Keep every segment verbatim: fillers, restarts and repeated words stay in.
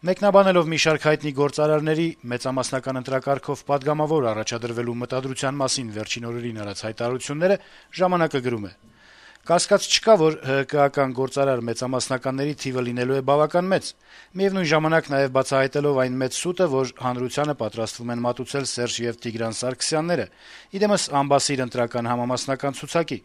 Մեկնաբանելով մի շարք հայտնի գործարարների մեծամասնական ընտրակարգով պատգամավոր առաջադրվելու մտադրության մասին վերջին օրերին արած հայտարարությունները «Ժամանակ»-ը գրում է. - «Կասկած չկա, որ ՀՀԿ-ական գործարար մեծամասնականների թիվը լինելու է բավական մեծ, միևնույն ժամանակ նաեւ բացահայտելով այն մեծ սուտը, որ հանրությանը պատրաստվում են մատուցել Սերժ եւ Տիգրան Սարգսյանները, իդեմս անբասիր ընտրական համամասնական ցուցակի։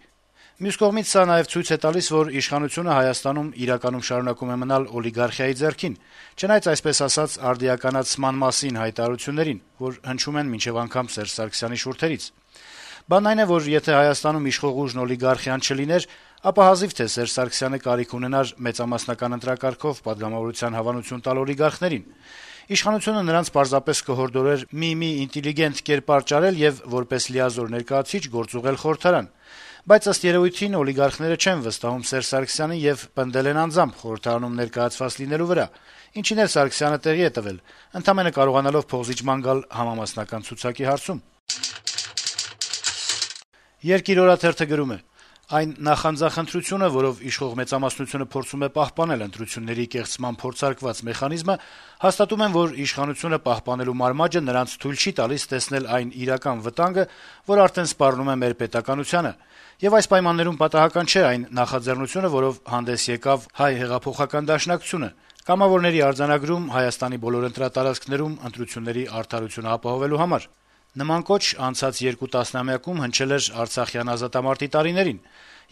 Մյուս կողմից սա նաեւ ցույց է տալիս, որ իշխանությունը Հայաստանում իրականում շարունակում է մնալ օլիգարխիայի ձեռքին, չնայած այսպես ասած արդիականացման մասին հայտարարություններին, որ հնչում են մինչեւ անգամ Սերժ Սարգսյանի շուրթերից։ Բանն այն է, որ եթե Հայաստանում իշխող ուժն օլիգարխիան չլիներ, ապա հազիվ թե Սերժ Սարգսյանը կարիք ունենար մեծամասնական ընտրակարգով պատգամավորության հավանություն տալ օլիգարխներին։ Իշխանությունը նրանց պարզապես կհորդորեր մի-մի ինտելիգենտ կերպար ճարել եւ որպես լիազոր ներկայացուցիչ գործուղել խորհրդարան։ Բայց ըստ երեւույթին օլիգարխները չեն վստահում Սերժ Սարգսյանին եւ պնդել են անձամբ խորհրդարանում ներկայացված լինելու վրա, ինչին էլ Սարգսյանը տեղի է տվել, ընդամենը կարողանալով փոխզիջման գալ համամասնական ցուցակի հարցում»։ «Երկիր» օրաթերթը գրում է. - «Այն նախանձախնդրությունը, որով իշխող մեծամասնությունը փորձում է պահպանել ընտրությունների կեղծման փորձարկված մեխանիզմը, հաստատում են, որ իշխանությունը պահպանելու մարմաճը նրանց թույլ չի տալիս տեսնել այն իրական վտանգը, որ արդեն սպառնում է մեր պետականությանը, եւ այս պայմաններում պատահական չէ այն նախաձեռնությունը, որով հանդես եկավ Հայ հեղափոխական դաշնակցությունը, կամավորների արձանագրում Հայաստանի բոլոր ընտրատարածքներում ընտրությունների արդարությունը ապահովելու համար։ Նման կոչ անցած երկու տասնամյակում հնչել էր Արցախյան ազատամարտի տարիներին,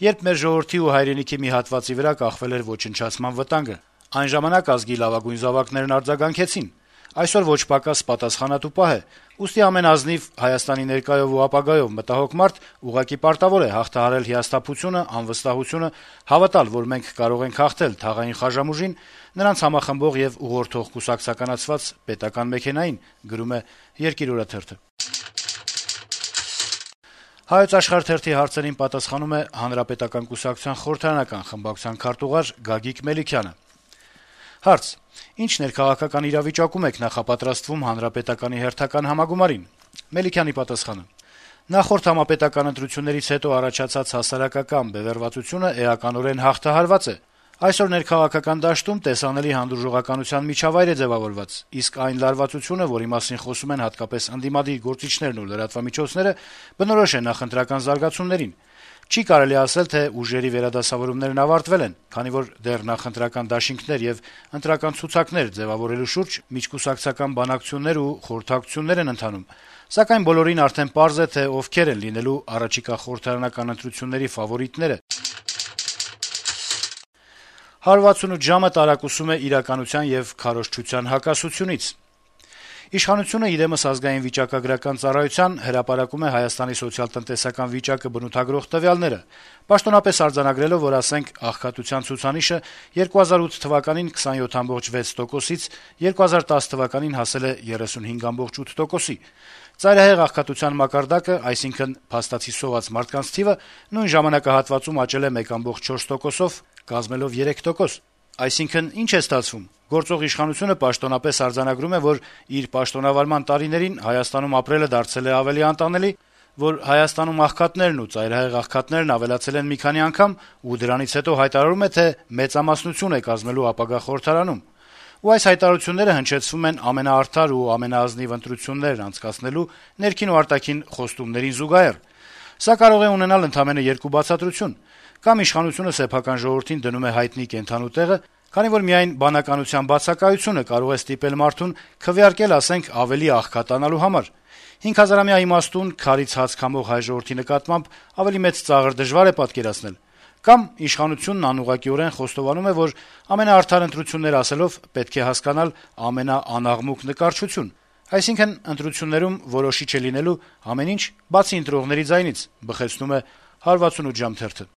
երբ մեր ժողովրդի ու հայրենիքի մի հատվածի վրա կախվել էր ոչնչացման վտանգը։ Այն ժամանակ ազգի լավագույն զավակներն արձագանքեցին։ Այսօր ոչ պակաս պատասխանատու պահ է, ուստի ամեն ազնիվ Հայաստանի ներկայով ու ապագայով մտահոգ մարդ ուղղակի պարտավոր է հաղթահարել հիասթափությունը, անվստահությունը, հավատալ, որ մենք կարող ենք հաղթել թաղային խաժամուժին, նրանց համախմբող եւ ուղղորդող կուսակցականացված պետական մեքենային», գրում է «Երկիր» օրաթերթը։ «Հայոց Աշխարհ» թերթի հարցերին պատասխանում է Հանրապետական կուսակցության խորհրդարանական խմբակցության քարտուղար Գագիկ Մելիքյանը։ Հարց. - «Ինչ ներքաղաքական իրավիճակում եք նախապատրաստվում Հանրապետականի հերթական համագումարին»։ Մելիքյանի պատասխանը. - «Նախորդ համապետական ընտրություններից հետո առաջացած հասարակական բևեռվածությունը էականորեն հաղթահարված է։ Այսօր ներքաղաքական դաշտում տեսանելի հանդուրժողականության միջավայր է ձեւավորված, իսկ այն լարվածությունը, որի մասին խոսում են հատկապես ընդդիմադիր գործիչներն ու լրատվամիջոցները, բնորոշ է նախընտրական զարգացումներին։ Չի կարելի ասել, թե ուժերի վերադասավորումներն ավարտվել են, քանի որ դեռ նախընտրական դաշինքներ եւ ընտրական ցուցակներ ձեւավորելու շուրջ միջկուսակցական բանակցություններ ու խորհրդակցություններ են ընթանում, սակայն բոլորին արդեն պարզ է, թե ովքեր են լինելու առաջիկա խորհրդարանական ընտրությունների ֆավորիտները»։ հարյուր վաթսունութ ժամը տարակուսում է իրականության եւ քարոզչության հակասությունից։ Իշխանությունը իդեմս ազգային վիճակագրական ծառայության հրապարակում է Հայաստանի սոցիալ-տնտեսական վիճակը բնութագրող տվյալները, պաշտոնապես արձանագրելով, որ ասենք աղքատության ցուցանիշը երկու հազար ութ թվականին քսանյոթ կoma վեց տոկոսից երկու հազար տասը թվականին հասել է երեսունհինգ կoma ութ տոկոսի։ Ծայրահեղ աղքատության մակարդակը, այսինքն փաստացի սոված մարդկանց թիվը, նույն ժամանակահատվածում աճել է մեկ կoma չորս տոկոսով, կազմելով երեք տոկոս։ Այսինքն, ինչ է ստացվում։ Գործող իշխանությունը պաշտոնապես արձանագրում է, որ իր պաշտոնավարման տարիներին Հայաստանում ապրելը դարձել է ավելի անտանելի, որ Հայաստանում աղքատներն ու ծայրահեղ աղքատներն ավելացել են մի քանի անգամ, ու դրանից հետո հայտարարում է, թե մեծամասնություն է կազմելու ապագա խորհրդարանում։ Ու այս հայտարարությունները հնչեցվում են ամենաարդար ու ամենաազնիվ ընտրություններն անցկացնելու ներքին ու արտաքին խոստումներին զուգահեռ։ Սա կարող է ունենալ ընդամենը երկու բացատրություն. կամ իշխանությունը սեփական ժողովրդին դնում է հայտնի կենդանու տեղը, քանի որ միայն բանականության բացակայությունը կարող է ստիպել մարդուն քվեարկել, ասենք, ավելի աղքատանալու համար։ հինգ հազարամյա իմաստուն քարից հաց քամող հայ ժողովրդի նկատմամբ ավելի մեծ ծաղր դժվար է պատկերացնել։ Կամ իշխանությունն անուղղակիորեն խոստովանում է, որ ամենաարդար ընտրություններ ասելով պետք է հասկանալ ամենաանաղմուկ նկարչություն, այսինքն ընտրություններում որոշիչ է լինելու ամեն ինչ, բացի ընտրողների ձայնից, բխեցնում է հարյուր վաթսունութ ժամ թերթը։